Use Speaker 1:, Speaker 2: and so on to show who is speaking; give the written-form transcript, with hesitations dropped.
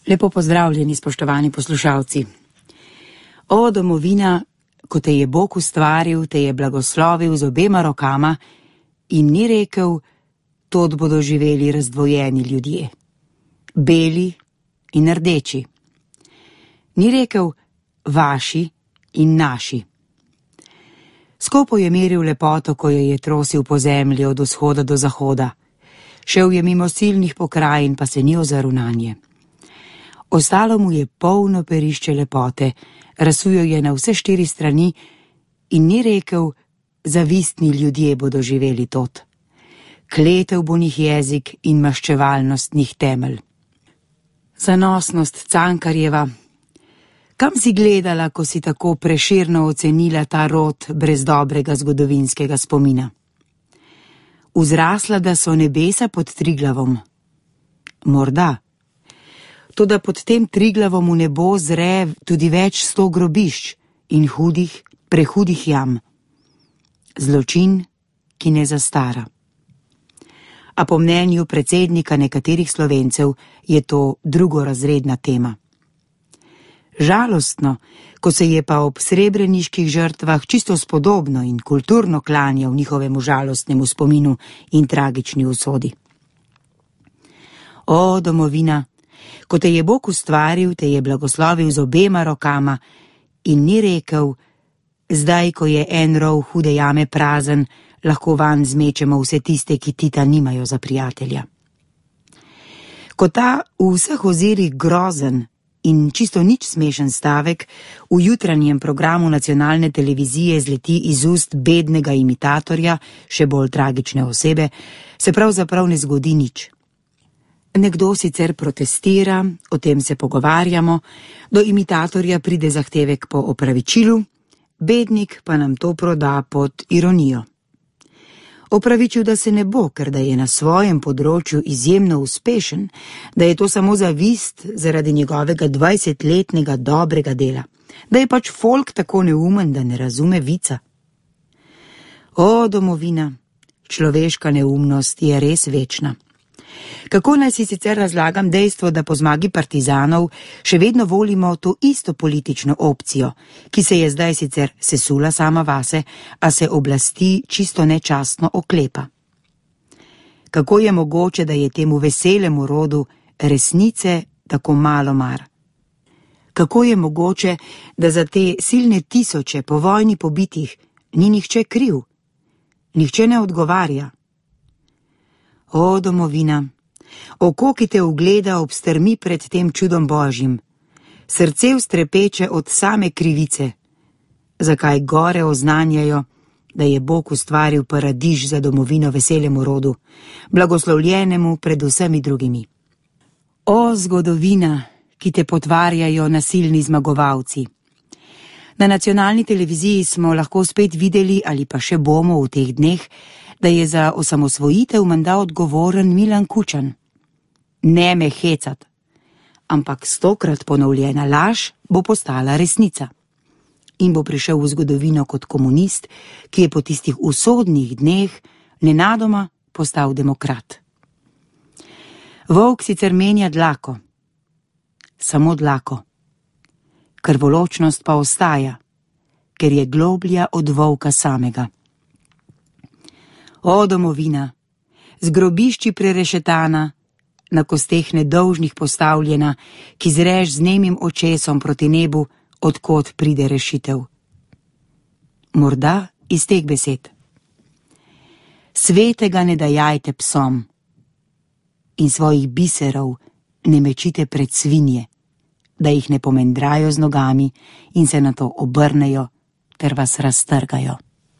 Speaker 1: Lepo pozdravljeni, spoštovani poslušalci. O, domovina, ko te je Bog ustvaril, te je blagoslovil z obema rokama in ni rekel, tod bodo živeli razdvojeni ljudje, beli in rdeči. Ni rekel vaši in naši. Skopo je meril lepoto, ko jo je trosil po zemlji od vzhoda do zahoda. Šel je mimo silnih pokrajin, pa se ni ozrl nanje. Ostalo mu je polno perišče lepote, razsujal je na vse 4 strani in ni rekel, zavistni ljudje bodo živeli tod. Kletev bo njih jezik in maščevalnost njih temelj. Zanosnost Cankarjeva. Kam si gledala, ko si tako preširno ocenila ta rod brez dobrega zgodovinskega spomina? Vzrasla, da so nebesa pod Triglavom? Morda. Toda pod tem Triglavom v nebo zre tudi več 100 grobišč in hudih, prehudih jam. Zločin, ki ne zastara. A po mnenju predsednika nekaterih Slovencev je to drugorazredna tema. Žalostno, ko se je pa ob srebreniških žrtvah čisto spodobno in kulturno klanjal njihovemu žalostnemu spominu in tragični usodi. O, domovina, ko te je Bog ustvaril, te je blagoslovil z obema rokama in ni rekel, zdaj, ko je en rov hude jame prazen, lahko vanj zmečemo vse tiste, ki Tita nimajo za prijatelja. Ko ta v vseh ozirih grozen in čisto nič smešen stavek v jutranjem programu nacionalne televizije zleti iz ust bednega imitatorja, še bolj tragične osebe, se pravzaprav ne zgodi nič. Nekdo sicer protestira, o tem se pogovarjamo, do imitatorja pride zahtevek po opravičilu, bednik pa nam to proda pod ironijo. Opravičil, da se ne bo, ker da je na svojem področju izjemno uspešen, da je to samo zavist zaradi njegovega 20-letnega dobrega dela, da je pač folk tako neumen, da ne razume vica. O, domovina, človeška neumnost je res večna. Kako naj si sicer razlagam dejstvo, da po zmagi partizanov še vedno volimo to isto politično opcijo, ki se je zdaj sicer sesula sama vase, a se oblasti čisto nečastno oklepa? Kako je mogoče, da je temu veselemu rodu resnice tako malo mar? Kako je mogoče, da za te silne tisoče po vojni pobitih ni nihče kriv? Nihče ne odgovarja. O, domovina, oko, ki te ugleda, obstrmi pred tem čudom Božjim, srce vstrepeče od same krivice, zakaj gore oznanjajo, da je Bog ustvaril paradiž za domovino veselemu rodu, blagoslovljenemu pred vsemi drugimi. O, zgodovina, ki te potvarjajo nasilni zmagovalci. Na nacionalni televiziji smo lahko spet videli, ali pa še bomo v teh dneh, da je za osamosvojitev menda odgovoren Milan Kučan. Ne me hecat, ampak 100-krat ponovljena laž bo postala resnica. In bo prišel v zgodovino kot komunist, ki je po tistih usodnih dneh nenadoma postal demokrat. Volk sicer menja dlako, samo dlako. Krvoločnost pa ostaja, ker je globlja od volka samega. O, domovina, z grobišči prerešetana, na kosteh nedolžnih postavljena, ki zreš z nemim očesom proti nebu, odkot pride rešitev. Morda iz teh besed. Svetega ne dajajte psom in svojih biserov ne mečite pred svinje, da jih ne pomendrajo z nogami in se nato obrnejo ter vas raztrgajo.